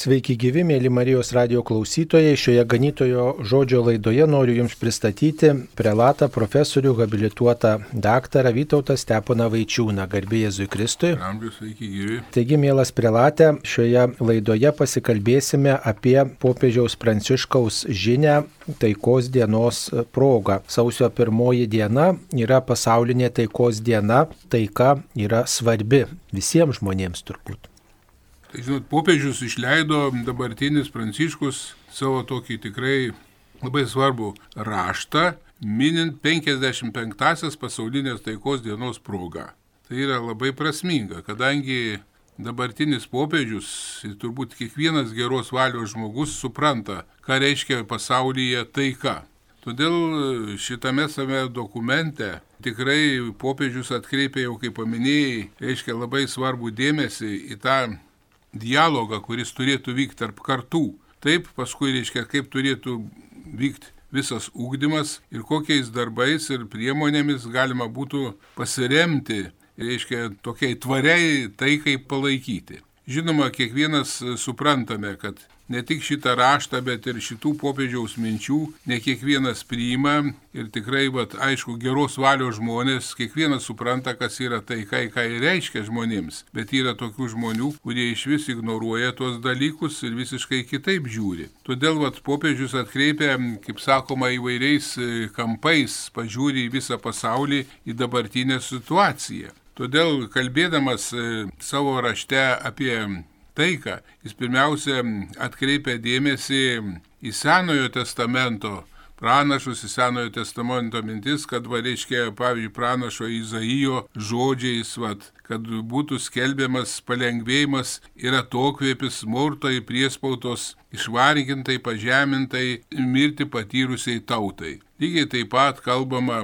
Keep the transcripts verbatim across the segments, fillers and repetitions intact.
Sveiki gyvi, mėly Marijos radijo klausytojai. Šioje ganytojo žodžio laidoje noriu Jums pristatyti prelatą, profesorių, habilituotą daktarą Vytautą Steponą Vaičiūną. Garbė Jėzui Kristui. Amžius, sveiki gyvi. Taigi, mielas prelate, šioje laidoje pasikalbėsime apie popiežiaus Pranciškaus žinią taikos dienos proga. Sausio pirmoji diena yra pasaulinė taikos diena. Taika yra svarbi visiems žmonėms turbūt. Tai, žinot, popiežius išleido dabartinis Pranciškus savo tokį tikrai labai svarbų raštą, minint penkiasdešimt penktąsias pasaulinės taikos dienos progą. Tai yra labai prasminga, kadangi dabartinis popiežius ir turbūt kiekvienas geros valios žmogus supranta, ką reiškia pasaulyje taika. Todėl šitame same dokumente tikrai popiežius atkreipė, jau kaip paminėjai, reiškia labai svarbų dėmesį į tą dialogą, kuris turėtų vykti tarp kartų. Taip, paskui reiškia, kaip turėtų vykti visas ugdymas ir kokiais darbais ir priemonėmis galima būtų pasiremti, reiškia, tokiai tvariai taikai palaikyti. Žinoma, kiekvienas suprantame, kad ne tik šitą raštą, bet ir šitų popiežiaus minčių ne kiekvienas priima ir tikrai, vat, aišku, geros valios žmonės, kiekvienas supranta, kas yra taika, ką ir reiškia žmonėms, bet yra tokių žmonių, kurie iš vis ignoruoja tuos dalykus ir visiškai kitaip žiūri. Todėl, vat, popiežius atkreipia, kaip sakoma, įvairiais kampais, pažiūri į visą pasaulį, į dabartinę situaciją. Todėl, kalbėdamas savo rašte apie taiką, jis pirmiausia atkreipia dėmesį į Senojo testamento pranašus, į Senojo testamento mintis, kad, va, reiškia, pavyzdžiui, pranašo Izaijo žodžiais, va, kad būtų skelbiamas palengvėjimas ir atokvėpis smurto ir priespautos išvargintai, pažemintai, mirti patyrusiai tautai. Lygiai taip pat kalbama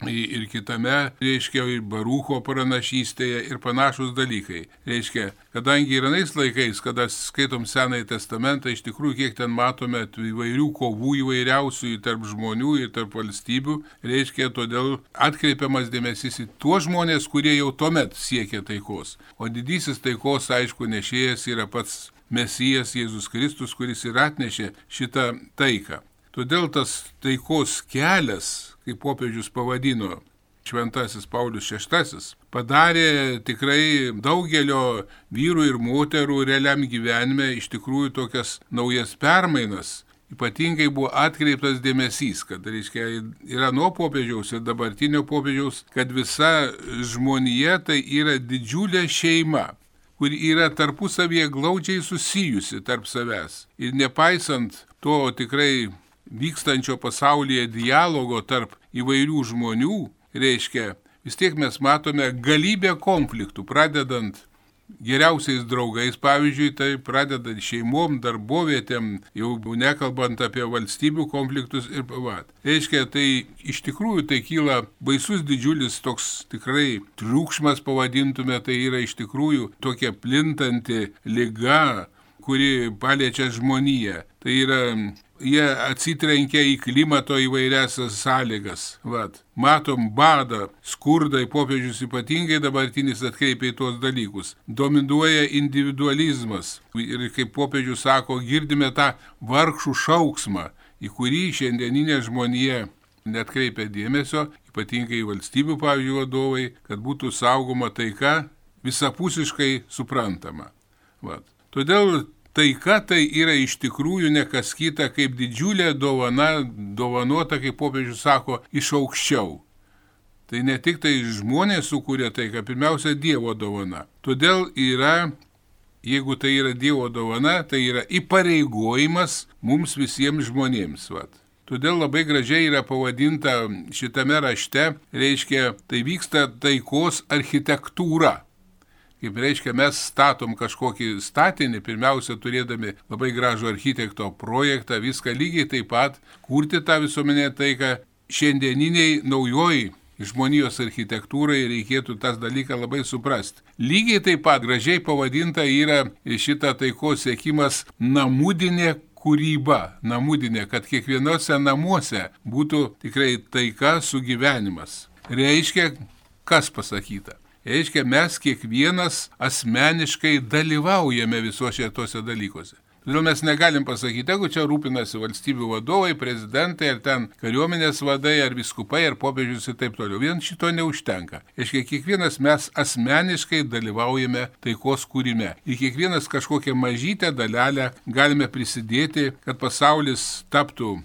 ir kitame, reiškia, ir Barucho pranašystėje ir panašus dalykai. Reiškia, kadangi ir anais laikais, kada skaitom Senąjį testamentą, iš tikrųjų, kiek ten matome įvairių kovų įvairiausių tarp žmonių ir tarp valstybių, reiškia, todėl atkreipiamas dėmesys į tuos žmonės, kurie jau tuomet siekia taikos. O didysis taikos, aišku, nešėjas yra pats Mesijas Jėzus Kristus, kuris ir atnešė šitą taiką. Todėl tas taikos kelias, kaip popiežius pavadino Šventasis Paulius šeštasis, padarė tikrai daugelio vyrų ir moterų realiam gyvenime iš tikrųjų tokias naujas permainas. Ypatingai buvo atkreiptas dėmesys, kad, reiškia, yra nuo popiežiaus ir dabartinio popiežiaus, kad visa žmonija tai yra didžiulė šeima, kur yra tarpusavyje glaudžiai susijusi tarp savęs. Ir nepaisant to tikrai vykstančio pasaulyje dialogo tarp įvairių žmonių, reiškia, vis tiek mes matome galybę konfliktų, pradedant geriausiais draugais, pavyzdžiui, tai pradedant šeimom, darbovietėm, jau nekalbant apie valstybių konfliktus ir pavat. Reiškia, tai iš tikrųjų tai kyla baisus didžiulis toks tikrai triukšmas, pavadintume, tai yra iš tikrųjų tokia plintanti liga, kuri paliečia žmoniją. Tai yra, jie atsitrenkia į klimato įvairiasias sąlygas. Vat. Matom badą, skurdai, popiežius ypatingai dabartinis atkreipia į tuos dalykus. Dominuoja individualizmas. Ir kaip popiežius sako, girdime tą vargšų šauksmą, į kurį šiandieninė žmonija netkreipia dėmesio, ypatingai valstybių, pavyzdžiui, vadovai, kad būtų saugoma taika visapusiškai suprantama. Vat. Todėl taika tai yra iš tikrųjų ne kas kita kaip didžiulė dovana, dovanota, kaip popiežius sako, iš aukščiau. Tai ne tik tai žmonės sukūrė taiką, pirmiausia Dievo dovana. Todėl yra, jeigu tai yra Dievo dovana, tai yra įpareigojimas mums visiems žmonėms. Vat. Todėl labai gražiai yra pavadinta šitame rašte, reiškia, tai vyksta taikos architektūra. Kaip reiškia, mes statom kažkokį statinį, pirmiausia, turėdami labai gražų architekto projektą, viską lygiai taip pat, kurti tą visuomenę taiką. Šiandieniniai naujoj žmonijos architektūrai reikėtų tas dalyką labai suprasti. Lygiai taip pat gražiai pavadinta yra šita taikos siekimas namudinė kūryba, namudinė, kad kiekvienose namuose būtų tikrai taika sugyvenimas. Reiškia, kas pasakyta? Reiškia, mes kiekvienas asmeniškai dalyvaujame visuose tose dalykuose. Todėl mes negalim pasakyti, jeigu čia rūpinasi valstybių vadovai, prezidentai, ar ten kariuomenės vadai, ar viskupai, ar popiežius ir taip toliau. Vien šito neužtenka. Iškai kiekvienas mes asmeniškai dalyvaujame taikos kūrime. Ir kiekvienas kažkokią mažytę dalelę galime prisidėti, kad pasaulis taptų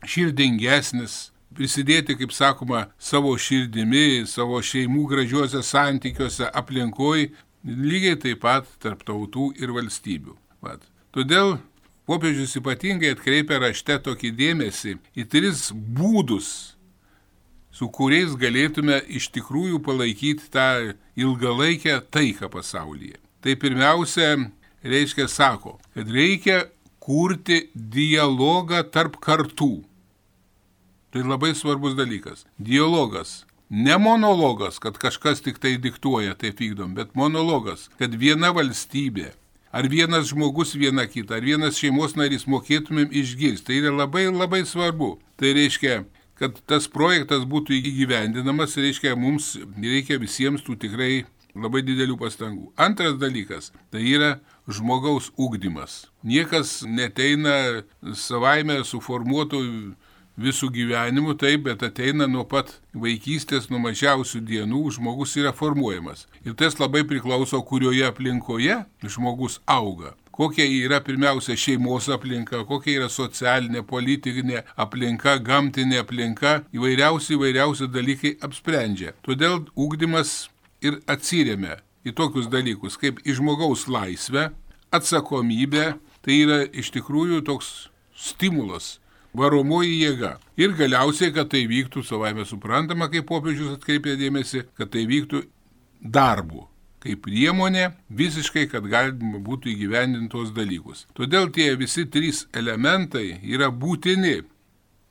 širdingesnis, prisidėti, kaip sakoma, savo širdimi, savo šeimų gražiuose santykiuose, aplinkoj, lygiai taip pat tarp tautų ir valstybių. Vat. Todėl popiežius ypatingai atkreipia rašte tokį dėmesį į tris būdus, su kuriais galėtume iš tikrųjų palaikyti tą ilgalaikę taiką pasaulyje. Tai pirmiausia, reiškia, sako, kad reikia kurti dialogą tarp kartų. Tai labai svarbus dalykas. Dialogas. Ne monologas, kad kažkas tik tai diktuoja, taip vykdom, bet monologas, kad viena valstybė, ar vienas žmogus viena kita, ar vienas šeimos narys mokėtumėm išgirsti. Tai yra labai labai svarbu. Tai reiškia, kad tas projektas būtų įgyvendinamas, reiškia, mums reikia visiems tų tikrai labai didelių pastangų. Antras dalykas, tai yra žmogaus ugdymas. Niekas neteina savaime suformuotų visų gyvenimų, taip, bet ateina nuo pat vaikystės, nuo mažiausių dienų, žmogus yra formuojamas. Ir tas labai priklauso, kurioje aplinkoje žmogus auga. Kokia yra pirmiausia šeimos aplinka, kokia yra socialinė, politinė aplinka, gamtinė aplinka, įvairiausi, įvairiausi dalykai apsprendžia. Todėl ugdymas ir atsiremia į tokius dalykus, kaip į žmogaus laisvę, atsakomybę, tai yra iš tikrųjų toks stimulas, varomoji jėga. Ir galiausiai, kad tai vyktų, savaime suprantama, kaip popiežius atkreipė dėmesį, kad tai vyktų darbu, kaip priemonė visiškai, kad galima būtų įgyvendintos dalykus. Todėl tie visi trys elementai yra būtini.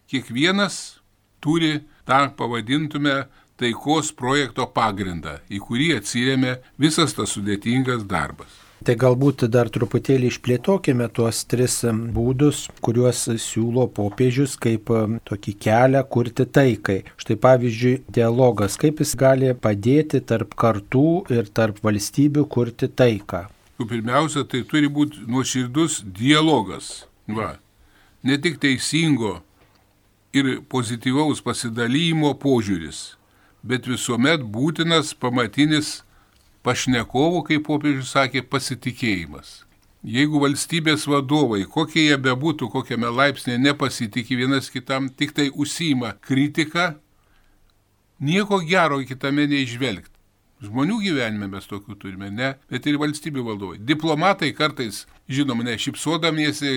Kiekvienas turi tą, pavadintume, taikos projekto pagrindą, į kurį atsiremia visas tas sudėtingas darbas. Tai galbūt dar truputėlį išplėtokime tuos tris būdus, kuriuos siūlo popiežius kaip tokį kelią kurti taikai. Štai pavyzdžiui, dialogas, kaip jis gali padėti tarp kartų ir tarp valstybių kurti taiką. Pirmiausia, tai turi būti nuoširdus dialogas. Va. Ne tik teisingo ir pozityvaus pasidalymo požiūris, bet visuomet būtinas pamatinis pašnekovų, kaip popiežius sakė, pasitikėjimas. Jeigu valstybės vadovai, kokie jie bebūtų, kokiame laipsnėje nepasitikė vienas kitam, tik tai užsiima kritiką, nieko gero kitame neižvelgti. Žmonių gyvenime mes tokių turime, ne, bet ir valstybių valdovai. Diplomatai kartais, žinoma, ne, šipsodamiesi,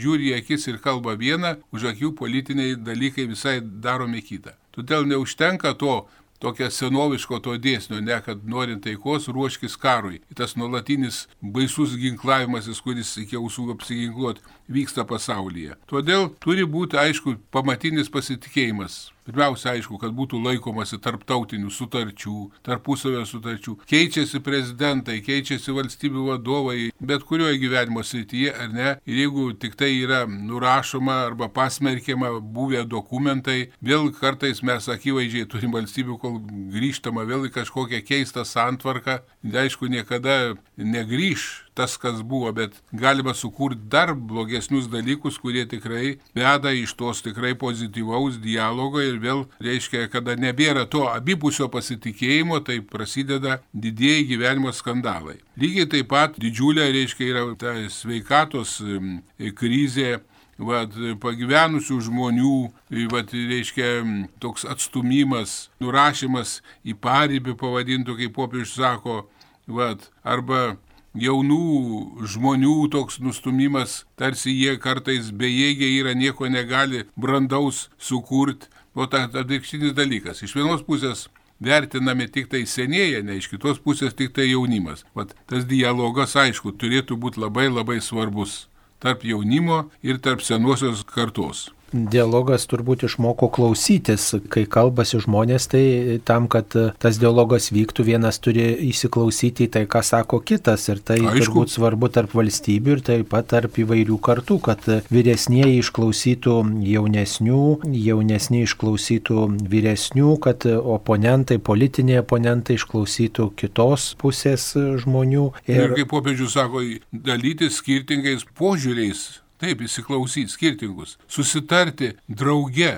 žiūri į akis ir kalba vieną, už akių politiniai dalykai visai daromi kitą. Todėl neužtenka to, tokio senoviško to dėsnio, ne, kad norint taikos ruoškis karui. Tas nuolatinis baisus ginklavimasis, kuris iki ausų apsiginkluot, vyksta pasaulyje. Todėl turi būti, aišku, pamatinis pasitikėjimas. Pirmiausia, aišku, kad būtų laikomasi tarptautinių sutarčių, tarpusavio sutarčių. Keičiasi prezidentai, keičiasi valstybių vadovai, bet kurioje gyvenimo srityje, ar ne. Ir jeigu tik tai yra nurašoma arba pasmerkiama buvę dokumentai, vėl kartais mes akivaizdžiai turim valstybių, kol grįžtama vėl į kažkokią keistą santvarką. Aišku, niekada negrįž tas, kas buvo, bet galima sukurti dar blogesnius dalykus, kurie tikrai veda iš tos tikrai pozityvaus dialogo ir vėl reiškia, kada nebėra to abipusio pasitikėjimo, tai prasideda didieji gyvenimo skandalai. Lygiai taip pat didžiulė, reiškia, yra ta sveikatos krizė, vat, pagyvenusių žmonių, vat, reiškia, toks atstumimas, nurašymas į paribį, pavadintų, kaip popiežius sako, vat, arba jaunų žmonių toks nustumimas, tarsi jie kartais bejėgiai yra, nieko negali brandaus sukurti. O tai atvirkštinis dalykas. Iš vienos pusės vertinami tik tai senėja, ne, iš kitos pusės tik tai jaunimas. Vat, tas dialogas, aišku, turėtų būti labai labai svarbus tarp jaunimo ir tarp senosios kartos. Dialogas turbūt išmoko klausytis, kai kalbasi žmonės, tai tam, kad tas dialogas vyktų, vienas turi įsiklausyti į tai, ką sako kitas. Ir tai Aišku. turbūt svarbu tarp valstybių ir taip pat tarp įvairių kartų, kad vyresnieji išklausytų jaunesnių, jaunesni išklausytų vyresnių, kad oponentai, politiniai oponentai išklausytų kitos pusės žmonių. Ir, ir kaip popiežius sako, dalytis skirtingais požiūriais. Taip, įsiklausyti skirtingus, susitarti drauge,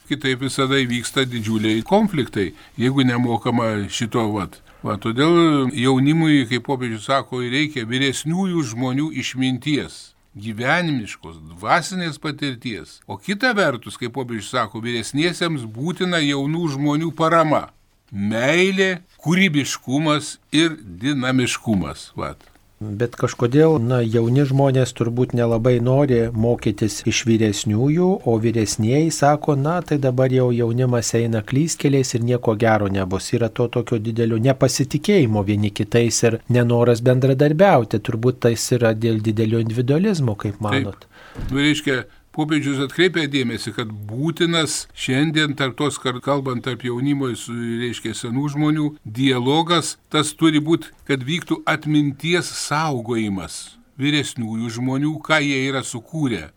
kitaip visada vyksta didžiuliai konfliktai, jeigu nemokama šito vat. Va, todėl jaunimui, kaip popiežius sako, reikia vyresniųjų žmonių išminties, gyvenimiškos, dvasinės patirties. O kita vertus, kaip popiežius sako, vyresniesiems būtina jaunų žmonių parama, meilė, kūrybiškumas ir dinamiškumas. Vat. Bet kažkodėl, na, jauni žmonės turbūt nelabai nori mokytis iš vyresniųjų, o vyresnieji sako, na, tai dabar jau jaunimas eina klystkeliais ir nieko gero nebus. Yra to tokio didelio nepasitikėjimo vieni kitais ir nenoras bendradarbiauti. Turbūt tai yra dėl didelio individualizmo, kaip manot. Taip. Nu, reiškia, popiežius atkreipia dėmesį, kad būtinas šiandien tarp tos, kalbant tarp jaunimo, reiškia senų žmonių, dialogas, tas turi būti, kad vyktų atminties saugojimas vyresniųjų žmonių, ką jie yra sukūrę.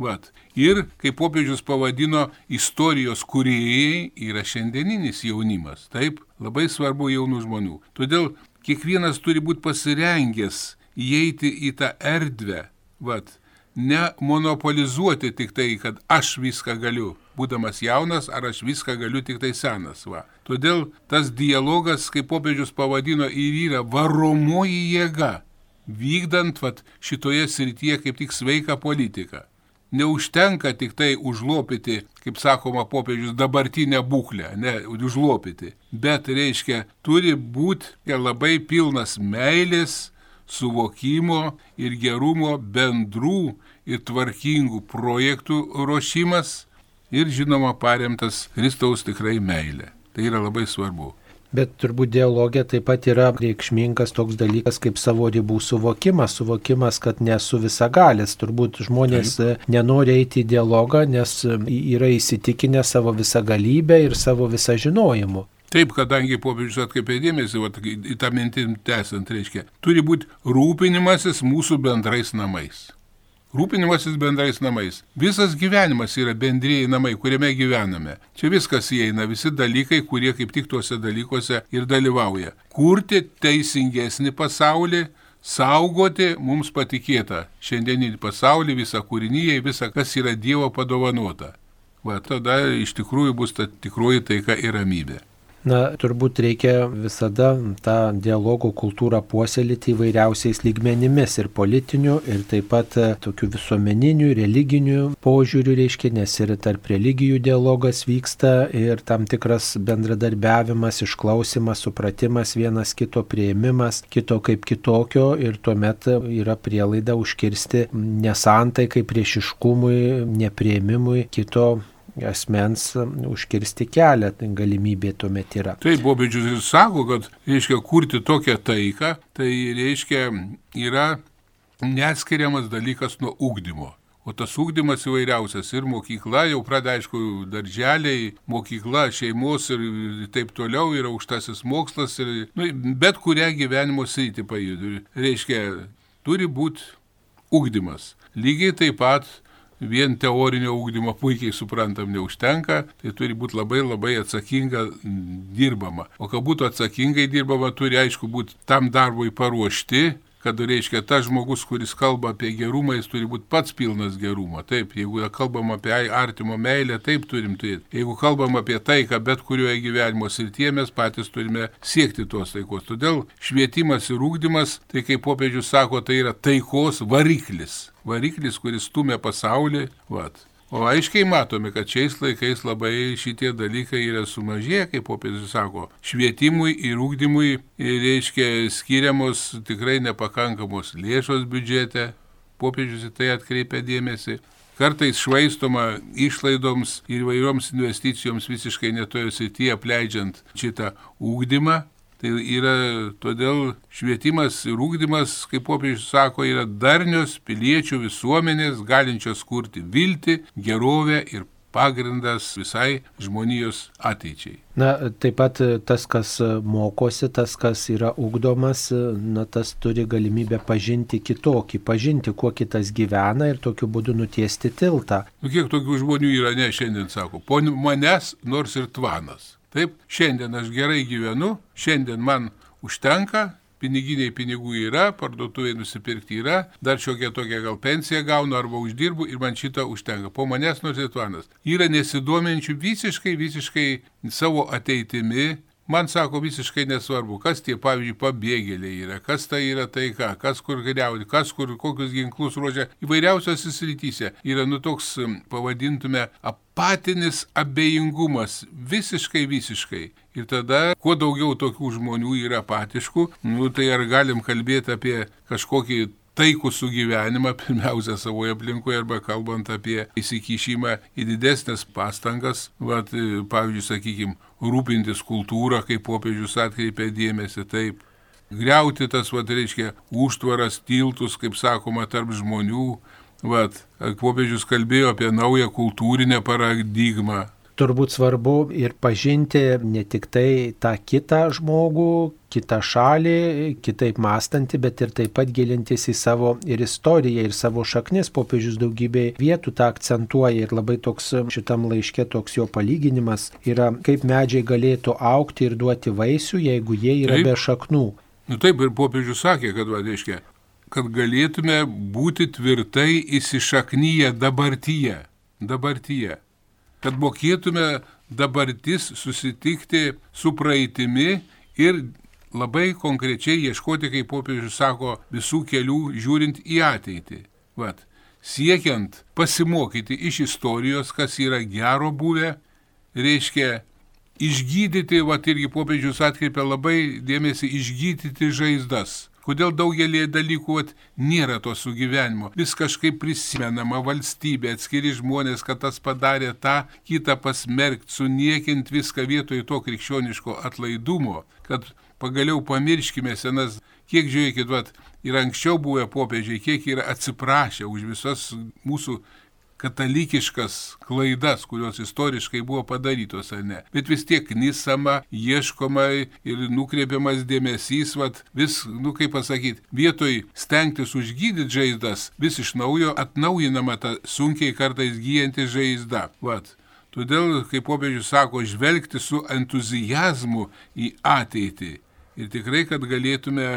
Vat. Ir, kaip popiežius pavadino, istorijos kūrėjai yra šiandieninis jaunimas. Taip, labai svarbu jaunų žmonių. Todėl kiekvienas turi būti pasirengęs įeiti į tą erdvę. Vat. Ne monopolizuoti tik tai, kad aš viską galiu, būdamas jaunas, ar aš viską galiu tik tai senas. Va. Todėl tas dialogas, kaip popiežius pavadino, ir yra varomoji jėga, vykdant vat, šitoje srityje kaip tik sveiką politiką. Neužtenka tik tai užlopyti, kaip sakoma popiežius, dabartinę būklę, ne užlopyti, bet reiškia, turi būti labai pilnas meilės, suvokimo ir gerumo bendrų ir tvarkingų projektų ruošimas ir, žinoma, paremtas Kristaus tikrai meilė. Tai yra labai svarbu. Bet turbūt dialogė taip pat yra reikšmingas toks dalykas kaip savo ribų suvokimas, suvokimas, kad nesu visagalis. Turbūt žmonės taip. nenori eiti į dialogą, nes yra įsitikinę savo visagalybę ir savo visą žinojimu. Taip, kadangi popiežius atkreipė dėmesį, va, į tą mintim tęsant, reiškia, turi būti rūpinimasis mūsų bendrais namais. Rūpinimasis bendrais namais. Visas gyvenimas yra bendrieji namai, kuriame gyvename. Čia viskas įeina, visi dalykai, kurie kaip tik tuose dalykuose ir dalyvauja. Kurti teisingesnį pasaulį, saugoti mums patikėtą šiandieninį pasaulį, visą kūrinyje, visą, kas yra Dievo padovanota. Va, tada iš tikrųjų bus ta tikroji taika ir ramybė. Na, turbūt reikia visada tą dialogo kultūrą puoselėti įvairiausiais lygmenimis ir politinių, ir taip pat tokių visuomeninių, religinių požiūrių, reiškia, nes ir tarp religijų dialogas vyksta ir tam tikras bendradarbiavimas, išklausimas, supratimas, vienas kito priėmimas, kito kaip kitokio ir tuomet yra prielaida užkirsti nesantaikai, priešiškumui, nepriėmimui kito asmens užkirsti kelią, tai galimybė tuomet yra. Taip, popiežius ir sako, kad reiškia kurti tokią taiką, tai reiškia yra neatskiriamas dalykas nuo ugdymo. O tas ugdymas įvairiausias ir mokykla, jau pradeda, aišku, darželiai, mokykla, šeimos ir taip toliau, yra aukštasis mokslas, ir, nu, bet kurią gyvenimo sritį pajudų. Reiškia, turi būti ugdymas. Lygiai taip pat vien teorinio ugdymo puikiai suprantam neužtenka, tai turi būti labai labai atsakinga dirbama. O kad būtų atsakingai dirbama, turi aišku būti tam darbui paruošti, kad reiškia tas žmogus, kuris kalba apie gerumą, jis turi būti pats pilnas gerumo. Taip, jeigu kalbam apie artimo meilę, taip turim turėti. Jeigu kalbam apie taiką, bet kurioje gyvenimo srityje mes patys turime siekti tos taikos. Todėl švietimas ir ugdymas, tai kaip popiežius sako, tai yra taikos variklis. Variklis, kuris stumia pasaulį. Vat. O aiškiai matome, kad šiais laikais labai šitie dalykai yra sumažėję, kaip popiežius sako, švietimui ir ugdymui reiškia skiriamos tikrai nepakankamos lėšos biudžete. Popiežius į tai atkreipia dėmesį. Kartais švaistoma išlaidoms ir įvairioms investicijoms visiškai netoje srityje, apleidžiant šitą ugdymą. Tai yra, todėl švietimas ir ugdymas, kaip popiežius sako, yra darnios piliečių visuomenės, galinčios kurti viltį, gerovę ir pagrindas visai žmonijos ateičiai. Na, taip pat tas, kas mokosi, tas, kas yra ugdomas, na, tas turi galimybę pažinti kitokį, pažinti, kuo kitas gyvena ir tokiu būdu nutiesti tiltą. Nu, kiek tokių žmonių yra, ne, šiandien sako, po manęs nors ir tvanas. Taip, šiandien aš gerai gyvenu, šiandien man užtenka, piniginiai pinigų yra, parduotuvėje nusipirkti yra, dar šiokia tokia gal pensiją gaunu arba uždirbu ir man šito užtenka. Po manęs nors ir tvanas. Yra nesidominčių visiškai, visiškai savo ateitimi. Man sako visiškai nesvarbu, kas tie, pavyzdžiui, pabėgėliai yra, kas tai yra taika, kas kur geriauti, kas kur kokius ginklus ruošia. Įvairiausiose srityse yra, nu, toks, pavadintume, apatinis abejingumas, visiškai, visiškai. Ir tada, kuo daugiau tokių žmonių yra apatiškų, nu, tai ar galim kalbėti apie kažkokį taikų sugyvenimą, pirmiausia, savoje aplinkoje, arba kalbant apie įsikišimą į didesnės pastangas, vat, pavyzdžiui, sakykime, rūpintis kultūrą, kaip popiežius atkreipė dėmesį, taip, griauti tas, vat, reiškia, užtvaras, tiltus, kaip sakoma, tarp žmonių, vat, popiežius kalbėjo apie naują kultūrinę paradigmą. Turbūt svarbu ir pažinti ne tik tai tą kitą žmogų, kitą šalį, kitaip mąstantį, bet ir taip pat gilintis į savo ir istoriją, ir savo šaknis. Popiežius daugybė vietų tą akcentuoja ir labai toks šitam laiške toks jo palyginimas yra, kaip medžiai galėtų augti ir duoti vaisių, jeigu jie yra taip be šaknų. Nu taip, ir popiežius sakė, kad, va, reiškia, kad galėtume būti tvirtai įsišaknyje dabartyje, dabartyje. Kad mokėtume dabartis susitikti su praeitimi ir labai konkrečiai ieškoti, kaip popiežius sako, visų kelių žiūrint į ateitį. Vat, siekiant pasimokyti iš istorijos, kas yra gero buvę, reiškia išgydyti, vat irgi popiežius atkreipia labai dėmesį, išgydyti žaizdas. Kodėl daugelį dalykų vat, nėra to sugyvenimo. Vis kažkaip prisimenama valstybė, atskiri žmonės, kad tas padarė tą, kitą pasmerkt, suniekint viską vietoj to krikščioniško atlaidumo, kad pagaliau pamirškime senas, kiek žiūrėkit, vat, ir anksčiau buvę popiežiai, kiek yra atsiprašę už visas mūsų katalikiškas klaidas, kurios istoriškai buvo padarytos, ar ne. Bet vis tiek nisama, ieškoma ir nukreipiamas dėmesys, vat, vis, nu kaip pasakyti, vietoj stengtis užgydyti žaizdas, vis iš naujo atnaujinama ta sunkiai kartais gyjanti žaizda. Vat. Todėl, kaip popiežius sako, žvelgti su entuzijazmu į ateitį. Ir tikrai, kad galėtume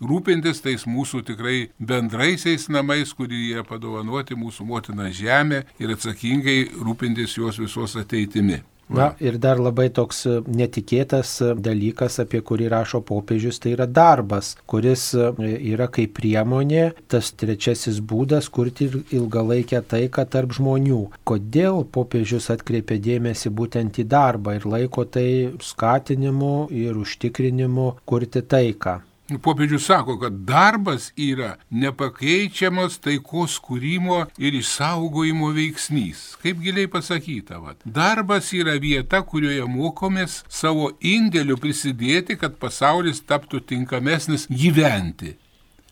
rūpintis tais mūsų tikrai bendraisiais namais, kurie yra padovanoti mūsų motina žemė ir atsakingai rūpintis jos visos ateitimi. Na ir dar labai toks netikėtas dalykas, apie kurį rašo popiežius, tai yra darbas, kuris yra kaip priemonė, tas trečiasis būdas kurti ilgalaikę taiką tarp žmonių. Kodėl popiežius atkreipia dėmesį būtent į darbą ir laiko tai skatinimu ir užtikrinimu kurti taiką? Popiežius sako, kad darbas yra nepakeičiamas taikos kūrimo ir išsaugojimo veiksnys. Kaip giliai pasakyta, vat. Darbas yra vieta, kurioje mokomės savo indėliu prisidėti, kad pasaulis taptų tinkamesnis gyventi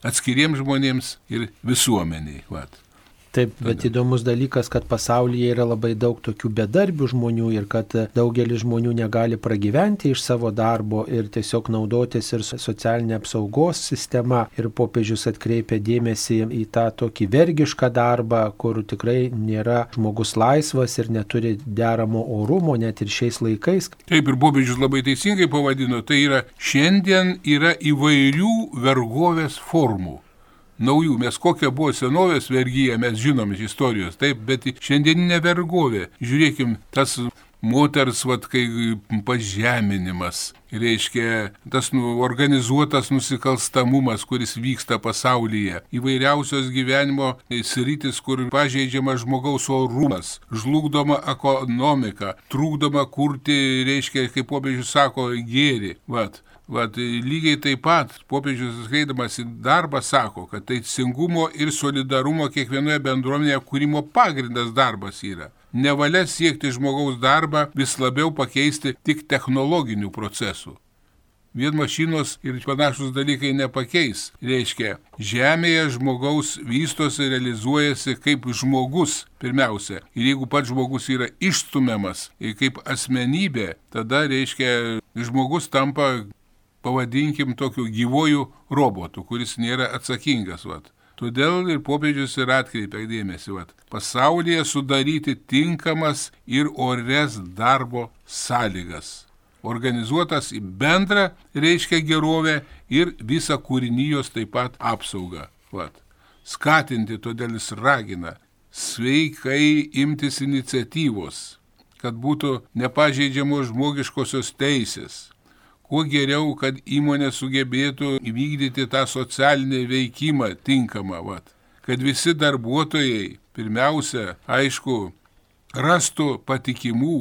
atskiriems žmonėms ir visuomeniai. Vat. Taip, bet įdomus dalykas, kad pasaulyje yra labai daug tokių bedarbių žmonių ir kad daugelis žmonių negali pragyventi iš savo darbo ir tiesiog naudotis ir socialinė apsaugos sistema. Ir popiežius atkreipia dėmesį į tą tokį vergišką darbą, kur tikrai nėra žmogus laisvas ir neturi deramo orumo, net ir šiais laikais. Taip, ir popiežius labai teisingai pavadino, tai yra šiandien yra įvairių vergovės formų. Naujų, mes kokia buvo senovės vergyja, mes žinom iš istorijos, taip, bet šiandieninė vergovė, žiūrėkim, tas moters, vat, kai pažeminimas, reiškia, tas nu, organizuotas nusikalstamumas, kuris vyksta pasaulyje, įvairiausios gyvenimo sritis, kur pažeidžiama žmogaus orumas, žlugdoma ekonomika, trukdoma kurti, reiškia, kaip popiežius sako, gėrį, vat. Vat, lygiai taip pat popiežius skreidamas į darbą sako, kad teisingumo ir solidarumo kiekvienoje bendruomenėje kūrimo pagrindas darbas yra. Nevalia siekti žmogaus darbą vis labiau pakeisti tik technologinių procesų. vien mašinos ir panašus dalykai nepakeis. Reiškia, žemėje žmogaus vystosi, realizuojasi kaip žmogus pirmiausia. Ir jeigu pats žmogus yra išstumiamas ir kaip asmenybė, tada, reiškia, žmogus tampa, pavadinkim, tokiu gyvojų robotu, kuris nėra atsakingas. Vat. Todėl ir popiežius ir atkreipia dėmesį, vat, pasaulyje sudaryti tinkamas ir ores darbo sąlygas. Organizuotas į bendrą, reiškia, gerovę ir visą kūrinijos taip pat apsaugą. Vat. Skatinti, todėl jis ragina sveikai imtis iniciatyvos, kad būtų nepažeidžiamos žmogiškosios teisės. Kuo geriau, kad įmonė sugebėtų įvykdyti tą socialinį veikimą tinkamą, vat. Kad visi darbuotojai, pirmiausia, aišku, rastų patikimų,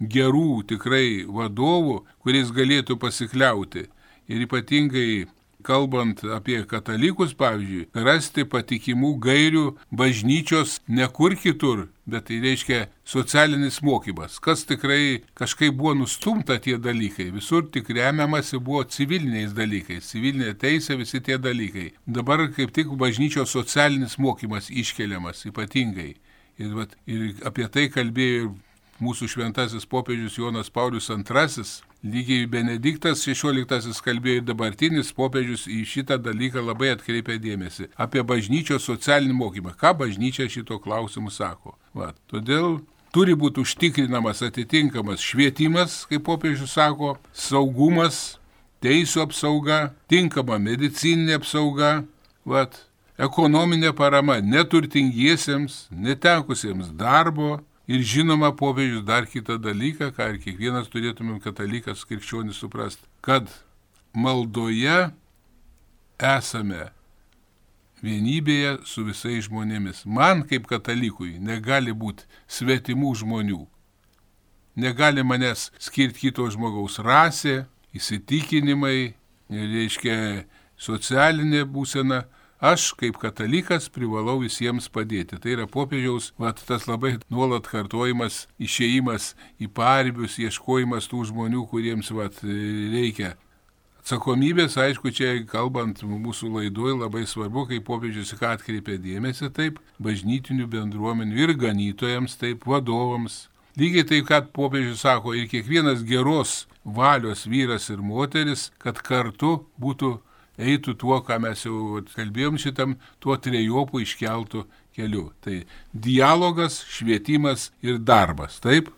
gerų tikrai vadovų, kuriais galėtų pasikliauti. Ir ypatingai, kalbant apie katalikus, pavyzdžiui, rasti patikimų gairių bažnyčios ne kur kitur, bet tai reiškia socialinis mokymas. Kas tikrai kažkaip buvo nustumta tie dalykai. Visur tik remiamasi buvo civiliniais dalykais. Civilinė teisė, visi tie dalykai. Dabar kaip tik bažnyčios socialinis mokymas iškeliamas ypatingai. Ir, vat, ir apie tai kalbėjo ir mūsų šventasis popiežius Jonas Paulius antrasis, lygiai Benediktas šešioliktasis kalbėjo ir dabartinis popiežius į šitą dalyką labai atkreipė dėmesį. Apie bažnyčios socialinį mokymą. Ką bažnyčia šito klausimu sako? Va. Todėl turi būti užtikrinamas atitinkamas švietimas, kaip popiežius sako, saugumas, teisų apsauga, tinkama medicininė apsauga, va, ekonominė parama neturtingiesiems, netekusiems darbo. Ir žinoma, popiežius dar kitą dalyką, ką ir kiekvienas turėtumėm katalikas krikščionis suprasti, kad maldoje esame vienybėje su visais žmonėmis. Man kaip katalikui negali būti svetimų žmonių. Negali manęs skirti kito žmogaus rasė, įsitikinimai, reiškia socialinė būsena. Aš, kaip katalikas, privalau visiems padėti. Tai yra popiežiaus, vat, tas labai nuolat kartojimas, išėjimas į paribius, ieškojimas tų žmonių, kuriems vat, reikia. Atsakomybės, aišku, čia kalbant mūsų laidoje labai svarbu, kaip popiežius į ką atkreipia dėmesį, taip, bažnytinių bendruomenių ir ganytojams, taip, vadovams. Lygiai taip, kad popiežius sako, ir kiekvienas geros valios vyras ir moteris, kad kartu būtų eitų tuo, ką mes jau kalbėjom šitam, tuo trejopų iškeltų keliu. Tai dialogas, švietimas ir darbas, taip?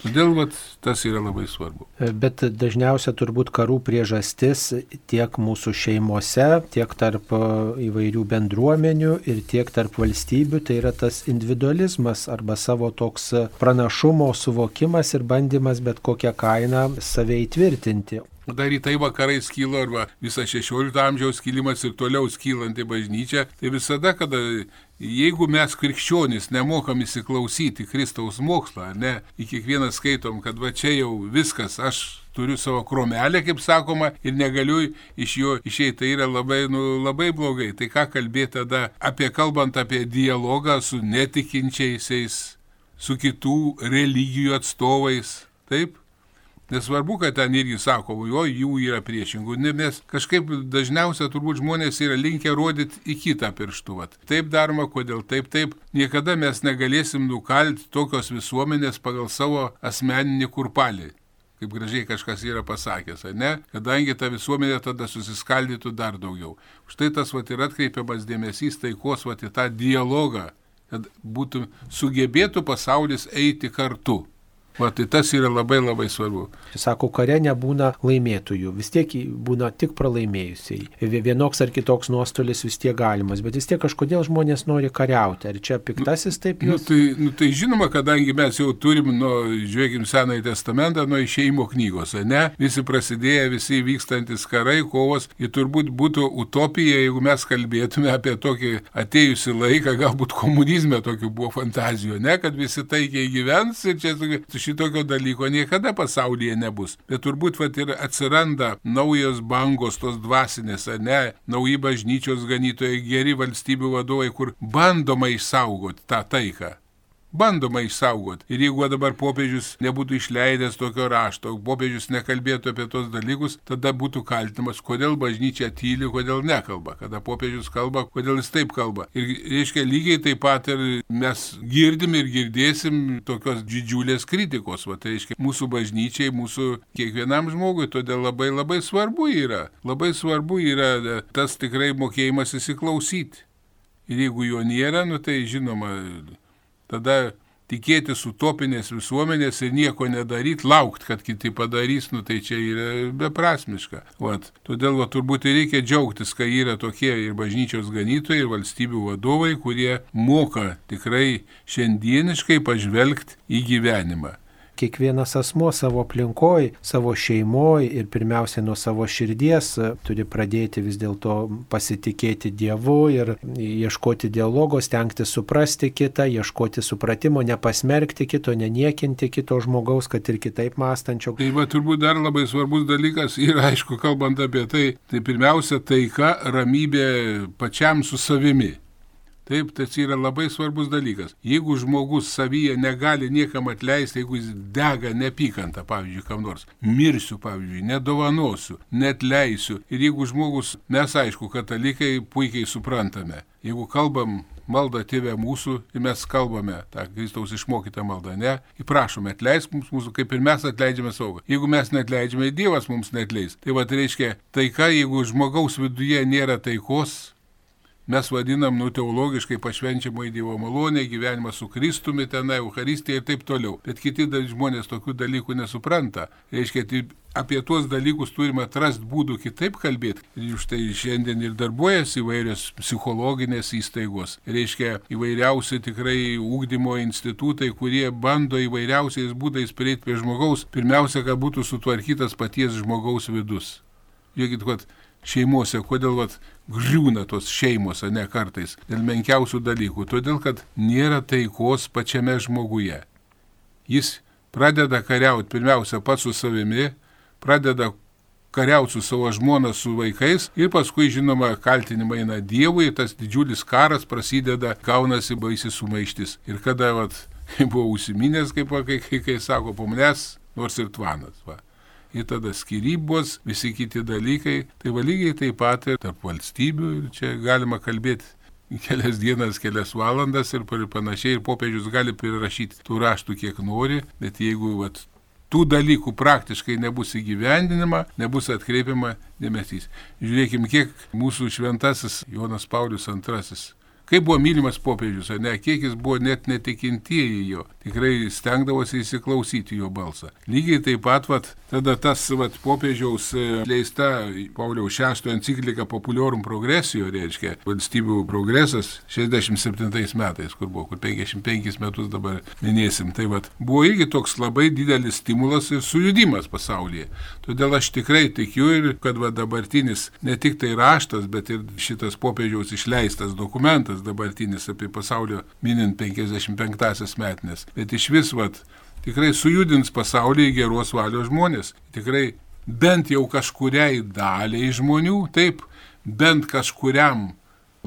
Todėl vat, tas yra labai svarbu. Bet dažniausia turbūt karų priežastis tiek mūsų šeimose, tiek tarp įvairių bendruomenių ir tiek tarp valstybių, tai yra tas individualizmas arba savo toks pranašumo suvokimas ir bandymas bet kokią kainą save įtvirtinti. Dar į tai vakarai skilo, arba visą šešiolikto amžiaus skilimas ir toliau skylanti bažnyčia, tai visada, kada jeigu mes krikščionys nemokam įsiklausyti Kristaus mokslą, ne, į kiekvieną skaitom, kad va čia jau viskas, aš turiu savo kromelę, kaip sakoma, ir negaliu iš jo išeiti, tai yra labai, nu, labai blogai. Tai ką kalbėti tada apie, kalbant apie dialogą su netikinčiaisiais, su kitų religijų atstovais, taip? Nesvarbu, kad ten irgi sako, jo, jų yra priešingų, nes kažkaip dažniausia turbūt žmonės yra linkę rodyti į kitą pirštų. Taip daroma, kodėl taip, taip. Niekada mes negalėsim nukalti tokios visuomenės pagal savo asmeninį kurpalį, kaip gražiai kažkas yra pasakęs, ne? Kadangi ta visuomenė tada susiskaldytų dar daugiau. Štai tas vat, yra atkreipiamas dėmesys taikos vat, į tą dialogą, kad būtų sugebėtų pasaulis eiti kartu. Va, tai tas yra labai labai svarbu. Sako, kare nebūna laimėtojų, vis tiek būna tik pralaimėjusiai. Vienoks ar kitoks nuostolis vis tiek galimas, bet vis tiek kažkodėl žmonės nori kariauti. Ar čia piktasis taip jūs? Nu, tai, nu, tai žinoma, kadangi mes jau turim, nu, žiūrėkim, Senąjį testamentą nuo Išėjimo knygos, ne? Visi prasidėję, visi vykstantis karai, kovos, ir turbūt būtų utopija, jeigu mes kalbėtume apie tokį atėjusį laiką, galbūt komunizme tokių buvo fantazijų, ne? Kad visi taikiai gyvens ir čia šitokio dalyko niekada pasaulyje nebus. Bet turbūt vat, ir atsiranda naujos bangos, tos dvasinės, ne, nauji bažnyčios ganytojai, geri valstybių vadovai, kur bandoma išsaugoti tą taiką. bandoma išsaugoti. Ir jeigu dabar popiežius nebūtų išleidęs tokio rašto, popiežius nekalbėtų apie tos dalykus, tada būtų kaltinamas, kodėl bažnyčia tyli, kodėl nekalba. Kada popiežius kalba, kodėl jis taip kalba. Ir reiškia, lygiai taip pat ir mes girdim ir girdėsim tokios didžiulės kritikos. Va, tai reiškia, mūsų bažnyčiai, mūsų kiekvienam žmogui, todėl labai labai svarbu yra. Labai svarbu yra tas tikrai mokėjimas įsiklausyti. Ir jeigu jo nėra, nu tai žinoma, tada tikėtis utopinės visuomenės ir nieko nedaryti, laukti, kad kiti padarys, nu tai čia yra beprasmiška. Vat. Todėl va, turbūt ir reikia džiaugtis, kai yra tokie ir bažnyčios ganytojai, ir valstybių vadovai, kurie moka tikrai šiandieniškai pažvelgti į gyvenimą. Kiekvienas asmuo savo aplinkoj, savo šeimoj ir pirmiausia nuo savo širdies turi pradėti vis dėlto pasitikėti Dievu ir ieškoti dialogo, stengtis suprasti kitą, ieškoti supratimo, nepasmerkti kito, neniekinti kito žmogaus, kad ir kitaip mąstančio. Tai va, turbūt dar labai svarbus dalykas ir aišku, kalbant apie tai, tai pirmiausia taika, ramybė pačiam su savimi. Taip, tai yra labai svarbus dalykas. Jeigu žmogus savyje negali niekam atleisti, jeigu jis dega neapykantą, pavyzdžiui, kam nors, mirsiu, pavyzdžiui, nedovanosiu, netleisiu. Ir jeigu žmogus, mes aišku, katalikai puikiai suprantame, jeigu kalbam maldą Tėve mūsų ir mes kalbame tą Kristaus išmokytą maldą, ne, įprašome, atleisk mums mūsų, kaip ir mes atleidžiame savo. Jeigu mes neatleidžiame, Dievas mums neatleis. Tai va, tai reiškia, taika, jeigu žmogaus viduje nėra taikos, mes vadinam, nu, teologiškai pašvenčiamo į Dievo malonę, gyvenimą su Kristumi tenai, Eucharistija ir taip toliau. Bet kiti žmonės tokių dalykų nesupranta. Reiškia, tai apie tuos dalykus turime atrasti būdų kitaip kalbėti. Ir štai šiandien ir darbuojasi įvairios psichologinės įstaigos. Reiškia, įvairiausi tikrai ugdymo institutai, kurie bando įvairiausiais būdais prieiti prie žmogaus. Pirmiausia, kad būtų sutvarkytas paties žmogaus vidus. Žiūrėkit, kad šeimose, kodėl vat, griūna tos šeimos, ne kartais, dėl menkiausių dalykų, todėl, kad nėra taikos pačiame žmoguje. Jis pradeda kariauti pirmiausia pats su savimi, pradeda kariauti su savo žmona, su vaikais ir paskui, žinoma, kaltinimai eina Dievui, tas didžiulis karas prasideda, gaunasi baisi sumaištis. Ir kada vat, buvo užsiminęs, kaip kai, kai, kai sako, po manęs, nors ir tvanas. Va. Ir tada skyrybos, visi kiti dalykai, tai va lygiai taip pat ir tarp valstybių, ir čia galima kalbėti kelias dienas, kelias valandas ir panašiai, ir popiežius gali prirašyti tų raštų kiek nori, bet jeigu vat, tų dalykų praktiškai nebus įgyvendinama, nebus atkreipiama dėmesys. Žiūrėkime, kiek mūsų šventasis Jonas Paulius antrasis, kaip buvo mylimas popiežius, ne, kiek jis buvo net netikintieji jo, tikrai stengdavosi įsiklausyti jo balsą. Lygiai taip pat, vat, tada tas vat, popiežiaus leista Pauliaus šeštojo enciklika Populorum Progressio, reiškia, valstybių progresas šešiasdešimt septintais metais, kur buvo, kur penkiasdešimt penkis metus dabar minėsim, tai vat, buvo irgi toks labai didelis stimulas ir sujudimas pasaulyje. Todėl aš tikrai tikiu ir kad va, dabartinis ne tik tai raštas, bet ir šitas popiežiaus išleistas dokumentas dabartinis apie pasaulio minint penkiasdešimt penktąsias metinės, bet iš vis, vat, tikrai sujudins pasaulį į geros valios žmonės. Tikrai bent jau kažkuriai daliai žmonių, taip, bent kažkuriam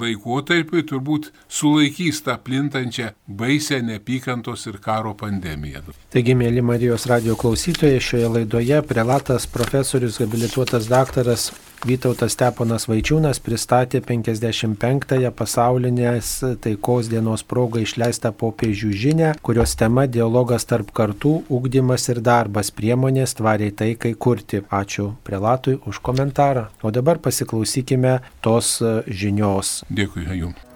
laikotarpiui turbūt sulaikys tą plintančią baisę neapykantos ir karo pandemiją. Taigi, mėly Marijos radijo klausytojai, šioje laidoje prelatas profesorius habilituotas daktaras Vytautas Steponas Vaičiūnas pristatė penkiasdešimt penktąją pasaulinės taikos dienos progą išleistą popiežių žinią, kurios tema dialogas tarp kartų, ugdymas ir darbas, priemonės tvariai taikai kurti. Ačiū prelatui už komentarą. O dabar pasiklausykime tos žinios. Dėkui jums.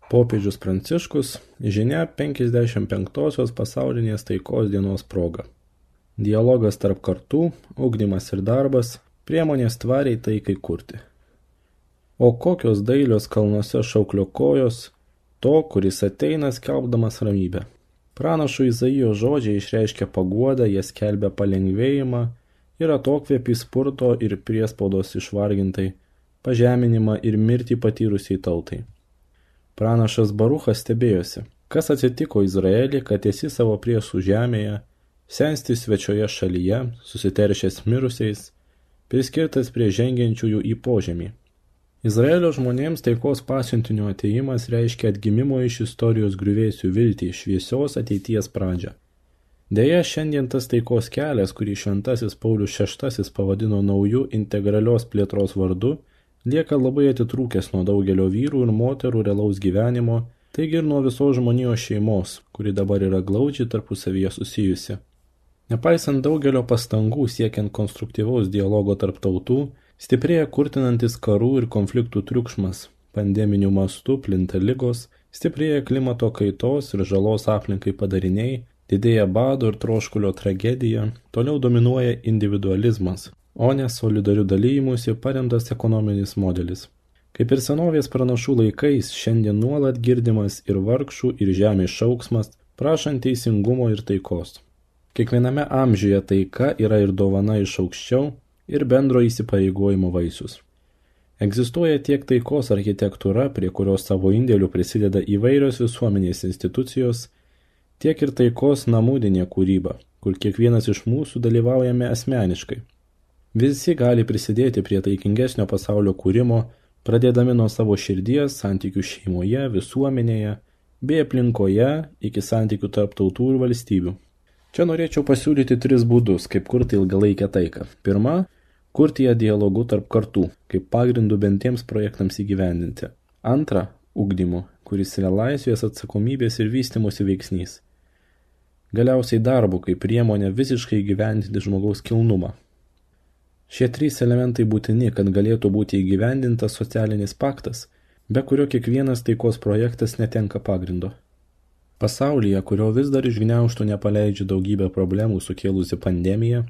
Popiežius Pranciškus žinia penkiasdešimt penktosios pasaulinės taikos dienos proga. Dialogas tarp kartų, ugdymas ir darbas, priemonės tvariai taikai kurti. O kokios dailios kalnuose šauklio kojos, to, kuris ateina skelbdamas ramybę. Pranašo Izaijo žodžiai išreiškia paguodą, jie skelbia palengvėjimą ir atokvėpį spurto ir priespaudos išvargintai, pažeminimą ir mirtį patyrusiai tautai. Pranašas Baruchas stebėjosi, kas atsitiko Izraelį, kad esi savo priešų žemėje, sensti svečioje šalyje, susiteršęs mirusiais, priskirtas prie žengiančiųjų į požemį. Izraelio žmonėms taikos pasiuntinio atėjimas reiškia atgimimo iš istorijos griuvėsių viltį, šviesios ateities pradžią. Deja, šiandien tas taikos kelias, kurį šventasis Paulius šeštasis pavadino nauju integralios plėtros vardu, lieka labai atitrūkęs nuo daugelio vyrų ir moterų realaus gyvenimo, taigi ir nuo visos žmonijos šeimos, kuri dabar yra glaudžiai tarpusavyje susijusi. Nepaisant daugelio pastangų siekiant konstruktyvaus dialogo tarp tautų, stiprėja kurtinantis karų ir konfliktų triukšmas, pandeminių mastų plinta ligos, stiprėja klimato kaitos ir žalos aplinkai padariniai, didėja bado ir troškulio tragedija, toliau dominuoja individualizmas, o ne solidarių dalyjimusi paremtas ekonominis modelis. Kaip ir senovės pranašų laikais, šiandien nuolat girdimas ir vargšų, ir žemės šauksmas, prašant teisingumo ir taikos. Kiekviename amžiuje taika yra ir dovana iš aukščiau, ir bendro įsipareigojimo vaisius. Egzistuoja tiek taikos architektūra, prie kurios savo indėlių prisideda įvairios visuomenės institucijos, tiek ir taikos namudinė kūryba, kur kiekvienas iš mūsų dalyvaujame asmeniškai. Visi gali prisidėti prie taikingesnio pasaulio kūrimo, pradėdami nuo savo širdies, santykių šeimoje, visuomenėje, bei aplinkoje iki santykių tarp tautų ir valstybių. Čia norėčiau pasiūlyti tris būdus, kaip kurti ilgalaikę taiką. Pirma, kurti ją dialogu tarp kartų, kaip pagrindų bentiems projektams įgyvendinti. Antra, ugdymu, kuris yra laisvės, atsakomybės ir vystymosi veiksnys. Galiausiai darbu, kaip priemonė visiškai įgyvendinti žmogaus kilnumą. Šie trys elementai būtini, kad galėtų būti įgyvendintas socialinis paktas, be kurio kiekvienas taikos projektas netenka pagrindo. Pasaulyje, kurio vis dar išgniaužtų nepaleidžia daugybę problemų sukėlusi pandemija,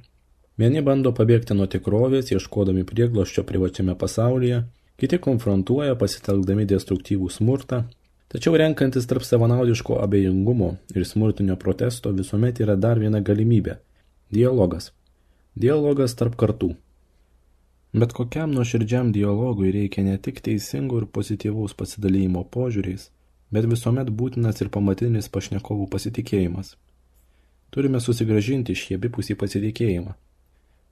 vieni bando pabėgti nuo tikrovės, ieškodami priegloščio privačiame pasaulyje, kiti konfrontuoja pasitelkdami destruktyvų smurtą, tačiau renkantis tarp savanaudiško abejingumo ir smurtinio protesto visuomet yra dar viena galimybė – dialogas. Dialogas tarp kartų. Bet kokiam nuoširdžiam dialogui reikia ne tik teisingų ir pozityvaus pasidalymo požiūriais, bet visuomet būtinas ir pamatinis pašnekovų pasitikėjimas. Turime susigrąžinti šį abipusį pasitikėjimą.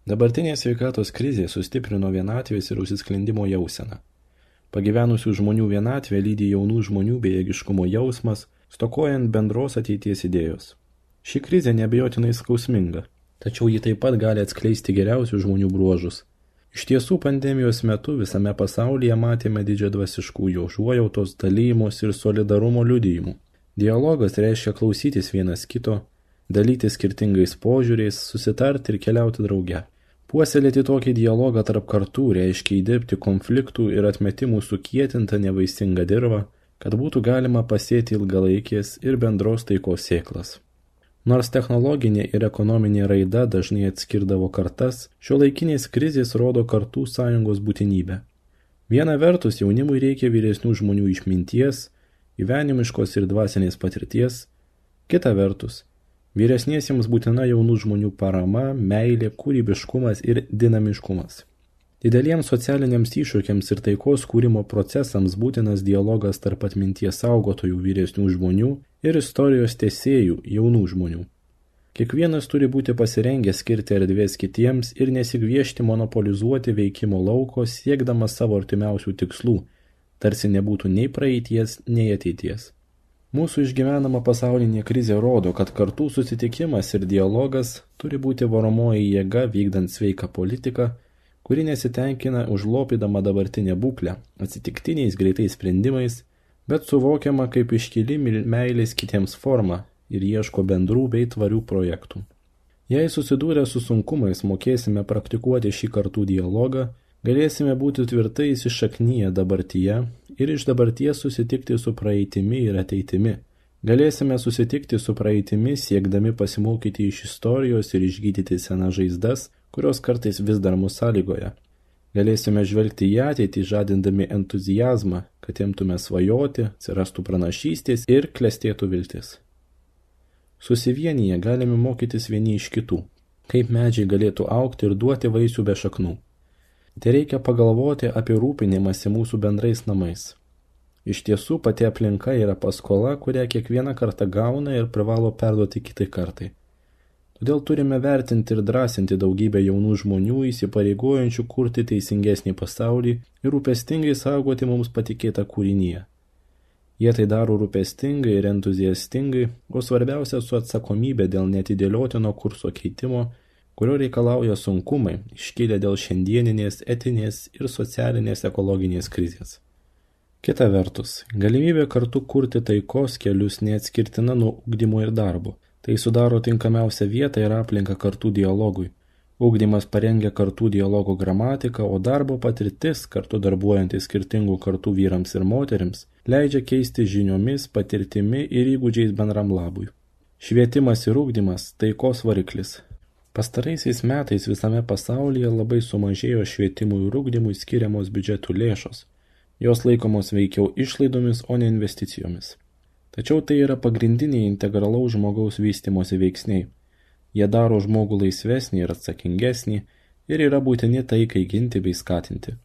Dabartinė sveikatos krizė sustiprino vienatvės ir užsisklendimo jauseną. Pagyvenusių žmonių vienatvė lydi jaunų žmonių bejėgiškumo jausmas, stokojant bendros ateities idėjos. Ši krizė neabejotinai skausminga, tačiau ji taip pat gali atskleisti geriausius žmonių bruožus. Iš tiesų, pandemijos metu visame pasaulyje matėme didžiadvasiškųjų užuojautos, dalyjimos ir solidarumo liudijimų. Dialogas reiškia klausytis vienas kito, dalyti skirtingais požiūriais, susitarti ir keliauti drauge. Puoselėti tokį dialogą tarp kartų reiškia įdirbti konfliktų ir atmetimų sukietintą nevaisingą dirvą, kad būtų galima pasėti ilgalaikės ir bendros taikos sėklas. Nors technologinė ir ekonominė raida dažnai atskirdavo kartas, šiuolaikinės krizės rodo kartų sąjungos būtinybę. Viena vertus jaunimui reikia vyresnių žmonių išminties, gyvenimiškos ir dvasinės patirties, kita vertus vyresniesiems būtina jaunų žmonių parama, meilė, kūrybiškumas ir dinamiškumas. Dideliems socialiniams iššūkiams ir taikos kūrimo procesams būtinas dialogas tarp atminties saugotojų vyresnių žmonių ir istorijos tęsėjų jaunų žmonių. Kiekvienas turi būti pasirengęs skirti erdvės kitiems ir nesigviešti monopolizuoti veikimo lauko siekdamas savo artimiausių tikslų, tarsi nebūtų nei praeities, nei ateities. Mūsų išgyvenama pasaulinė krizė rodo, kad kartų susitikimas ir dialogas turi būti varomoji jėga vykdant sveiką politiką, kuri nesitenkina užlopydama dabartinę būklę, atsitiktiniais greitais sprendimais, bet suvokiama kaip iškili meilės kitiems forma ir ieško bendrų bei tvarių projektų. Jei susidūrę su sunkumais mokėsime praktikuoti šį kartų dialogą, Galėsime būti tvirtai įsišaknyję dabartyje ir iš dabarties susitikti su praeitimi ir ateitimi. Galėsime susitikti su praeitimi siekdami pasimokyti iš istorijos ir išgydyti senas žaizdas, kurios kartais vis dar mus sąlygoja. Galėsime žvelgti į ateitį, žadindami entuzijazmą, kad imtume svajoti, atsirastų pranašystės ir klestėtų viltis. Susivienyje galime mokytis vieni iš kitų, kaip medžiai galėtų augti ir duoti vaisių be šaknų. Tai reikia pagalvoti apie rūpinimąsi mūsų bendrais namais. Iš tiesų, pati aplinka yra paskola, kurią kiekvieną kartą gauna ir privalo perduoti kitai kartai. Todėl turime vertinti ir drąsinti daugybę jaunų žmonių įsipareigojančių kurti teisingesnį pasaulį ir rūpestingai saugoti mums patikėtą kūrinyje. Jie tai daro rūpestingai ir entuziastingai, o svarbiausia su atsakomybė dėl neatidėliotino kurso keitimo, kurio reikalauja sunkumai, iškilę dėl šiandieninės, etinės ir socialinės ekologinės krizės. Kita vertus, galimybė kartu kurti taikos kelius neatskirtina nuo ugdymo ir darbo. Tai sudaro tinkamiausią vietą ir aplinką kartų dialogui. Ugdymas parengia kartų dialogo gramatiką, o darbo patirtis, kartu darbuojantis skirtingų kartų vyrams ir moterims, leidžia keisti žiniomis, patirtimi ir įgūdžiais bendram labui. Švietimas ir ugdymas – taikos variklis. Pastaraisiais metais visame pasaulyje labai sumažėjo švietimui ir ugdymui skiriamos biudžetų lėšos. Jos laikomos veikiau išlaidomis, o ne investicijomis. Tačiau tai yra pagrindiniai integralaus žmogaus vystymosi veiksniai. Jie daro žmogų laisvesnį ir atsakingesnį ir yra būtini taikai ginti bei skatinti.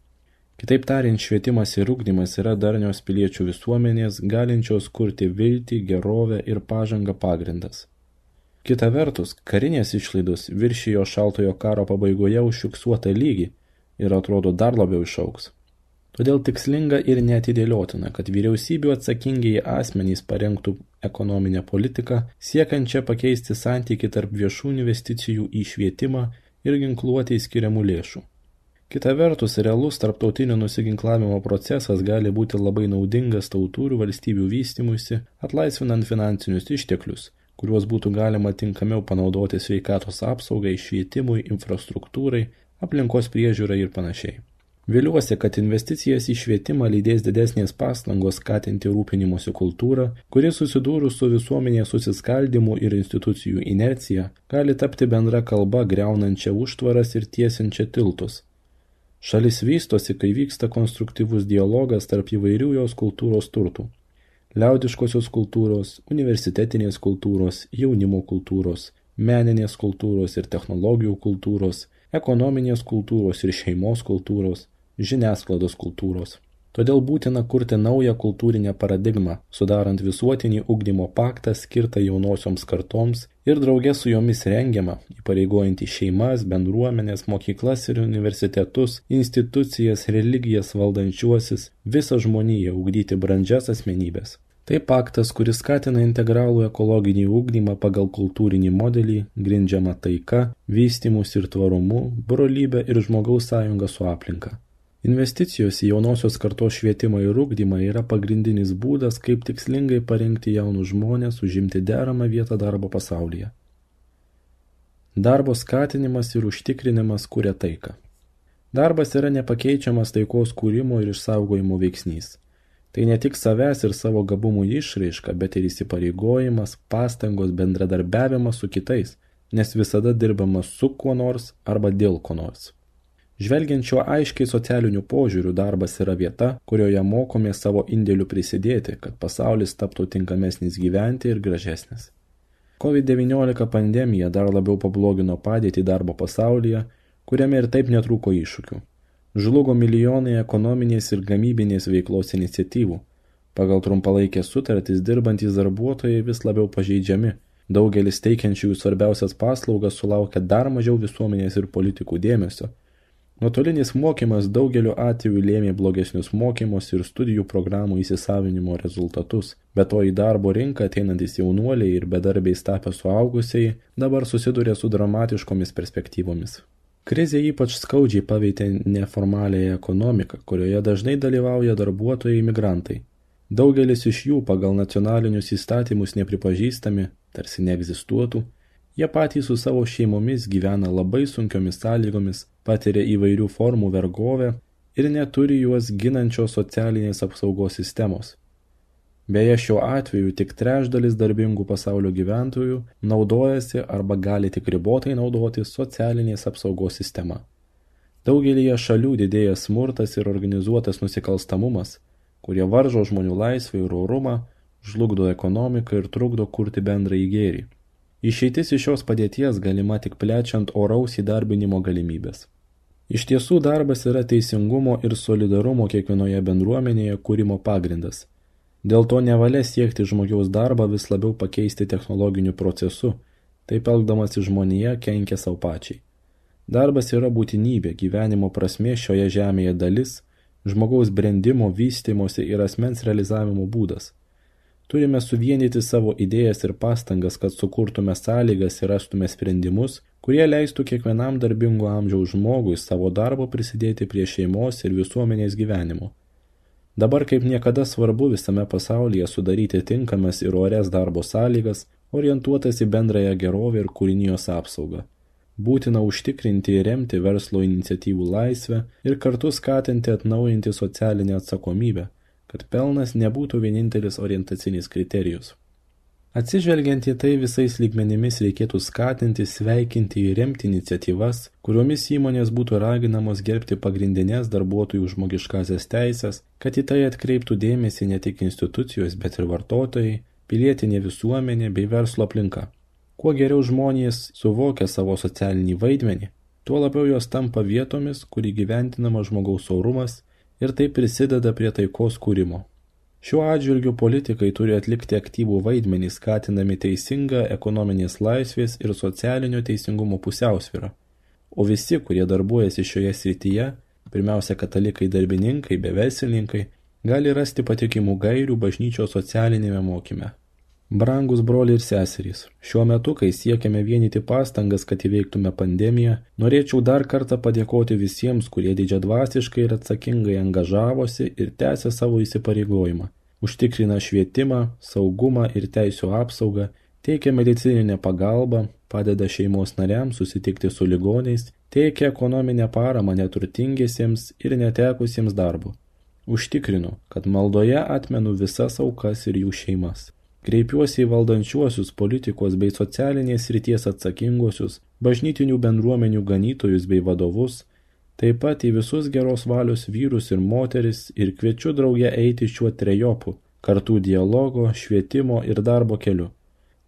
Kitaip tariant, švietimas ir ugdymas yra darnios piliečių visuomenės, galinčios kurti viltį, gerovę ir pažangą pagrindas. Kita vertus, karinės išlaidos viršijo šaltojo karo pabaigoje užfiksuotą lygį ir atrodo dar labiau išaugs. Todėl tikslinga ir neatidėliotina, kad vyriausybių atsakingiai asmenys parengtų ekonominę politiką, siekiančią pakeisti santykį tarp viešų investicijų į švietimą ir ginkluotei skiriamų lėšų. Kita vertus, realus tarptautinio nusiginklavimo procesas gali būti labai naudingas tautų ir valstybių vystymuisi, atlaisvinant finansinius išteklius, kuriuos būtų galima tinkamiau panaudoti sveikatos apsaugai, švietimui, infrastruktūrai, aplinkos priežiūrai ir panašiai. Viliuosi, kad investicijas į švietimą lydės didesnės pastangos skatinti rūpinimosi kultūrą, kuri susidūrus su visuomenės susiskaldymu ir institucijų inercija, gali tapti bendra kalba griaunančia užtvaras ir tiesiančia tiltus. Šalis vystosi, kai vyksta konstruktyvus dialogas tarp įvairių jos kultūros turtų. Liaudiškosios kultūros, universitetinės kultūros, jaunimo kultūros, meninės kultūros ir technologijų kultūros, ekonominės kultūros ir šeimos kultūros, žiniasklaidos kultūros. Todėl būtina kurti naują kultūrinę paradigmą, sudarant visuotinį ugdymo paktą skirtą jaunosioms kartoms ir drauge su jomis rengiamą, įpareigojantį šeimas, bendruomenės, mokyklas ir universitetus, institucijas, religijas valdančiuosius, visą žmoniją ugdyti brandžias asmenybės. Tai paktas, kuris skatina integralų ekologinį ugdymą pagal kultūrinį modelį, grindžiamą taika, vystymus ir tvarumu, brolybę ir žmogaus sąjungą su aplinka. Investicijos į jaunosios kartos švietimą ir ugdymą yra pagrindinis būdas, kaip tikslingai parengti jaunus žmonės užimti deramą vietą darbo pasaulyje. Darbo skatinimas ir užtikrinimas kuria taiką. Darbas yra nepakeičiamas taikos kūrimo ir išsaugojimo veiksnys. Tai ne tik savęs ir savo gabumų išraiška, bet ir įsipareigojimas, pastangos, bendradarbiavimas su kitais, nes visada dirbama su kuo nors arba dėl ko nors. Žvelgiant šiuo aiškiai socialiniu požiūriu, darbas yra vieta, kurioje mokome savo indėlių prisidėti, kad pasaulis taptų tinkamesnis gyventi ir gražesnis. kovid devyniolika pandemija dar labiau pablogino padėtį darbo pasaulyje, kuriame ir taip netrūko iššūkių. Žlugo milijonai ekonominės ir gamybinės veiklos iniciatyvų. Pagal trumpalaikės sutartis dirbantys darbuotojai vis labiau pažeidžiami. Daugelis teikiančiųjų svarbiausias paslaugas sulaukia dar mažiau visuomenės ir politikų dėmesio. Nuotolinis mokymas daugeliu atveju lėmė blogesnius mokymus ir studijų programų įsisavinimo rezultatus, bet to į darbo rinką ateinantis jaunuoliai ir bedarbiais tapę suaugusiai dabar susiduria su dramatiškomis perspektyvomis. Krizė ypač skaudžiai paveikė neformaliąją ekonomiką, kurioje dažnai dalyvauja darbuotojai imigrantai. Daugelis iš jų pagal nacionalinius įstatymus nepripažįstami, tarsi neegzistuotų, Jie patys su savo šeimomis gyvena labai sunkiomis sąlygomis, patiria įvairių formų vergovę ir neturi juos ginančios socialinės apsaugos sistemos. Beje, šiuo atveju tik trečdalis darbingų pasaulio gyventojų naudojasi arba gali tik ribotai naudotis socialinės apsaugos sistema. Daugelyje šalių didėja smurtas ir organizuotas nusikalstamumas, kurie varžo žmonių laisvę ir orumą, žlugdo ekonomiką ir trukdo kurti bendrąjį gėrį. Išeitis iš šios padėties galima tik plečiant oraus įdarbinimo galimybės. Iš tiesų darbas yra teisingumo ir solidarumo kiekvienoje bendruomenėje kūrimo pagrindas. Dėl to nevalia siekti žmogaus darbą vis labiau pakeisti technologiniu procesu, taip elgdamasi žmonija kenkia savo pačiai. Darbas yra būtinybė, gyvenimo prasmė šioje žemėje dalis, žmogaus brendimo, vystymosi ir asmens realizavimo būdas. Turime suvienyti savo idėjas ir pastangas, kad sukurtume sąlygas ir rastume sprendimus, kurie leistų kiekvienam darbingo amžiaus žmogui savo darbo prisidėti prie šeimos ir visuomenės gyvenimo. Dabar kaip niekada svarbu visame pasaulyje sudaryti tinkamas ir orias darbo sąlygas, orientuotas į bendrąją gerovę ir kūrinijos apsaugą. Būtina užtikrinti ir remti verslo iniciatyvų laisvę ir kartu skatinti atnaujinti socialinę atsakomybę, kad pelnas nebūtų vienintelis orientacinis kriterijus. Atsižvelgiant į tai, visais lygmenimis reikėtų skatinti, sveikinti ir remti iniciatyvas, kuriomis įmonės būtų raginamos gerbti pagrindinės darbuotojų žmogiškasias teisės, kad į tai atkreiptų dėmesį ne tik institucijos, bet ir vartotojai, pilietinė visuomenė bei verslo aplinka. Kuo geriau žmonės suvokia savo socialinį vaidmenį, tuo labiau jos tampa vietomis, kur įgyventinama žmogaus orumas ir tai prisideda prie taikos kūrimo. Šiuo atžvilgiu politikai turi atlikti aktyvų vaidmenį, skatindami teisingą ekonominės laisvės ir socialinio teisingumo pusiausvyrą. O visi, kurie darbuojasi šioje srityje, pirmiausia katalikai darbininkai bei verslininkai, gali rasti patikimų gairių bažnyčios socialinėme mokyme. Brangus broliai ir seserys, šiuo metu, kai siekiame vienyti pastangas, kad įveiktume pandemiją, norėčiau dar kartą padėkoti visiems, kurie didžiadvasiškai ir atsakingai angažavosi ir tęsė savo įsipareigojimą. Užtikrina švietimą, saugumą ir teisių apsaugą, teikia medicininę pagalbą, padeda šeimos nariams susitikti su ligoniais, teikia ekonominę paramą neturtingiesiems ir netekusiems darbo. Užtikrinu, kad maldoje atmenu visas aukas ir jų šeimas. Kreipiuosi į valdančiuosius politikos bei socialinės srities atsakinguosius, bažnytinių bendruomenių ganytojus bei vadovus, taip pat į visus geros valios vyrus ir moteris ir kviečiu drauge eiti šiuo trejopu, kartu dialogo, švietimo ir darbo keliu,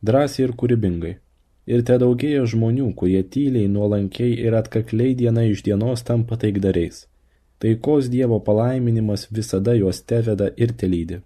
drąsiai ir kūrybingai. Ir te daugėja žmonių, kurie tyliai, nuolankiai ir atkakliai diena iš dienos tampa taikdariais. Taikos Dievo palaiminimas visada juos teveda ir telydi.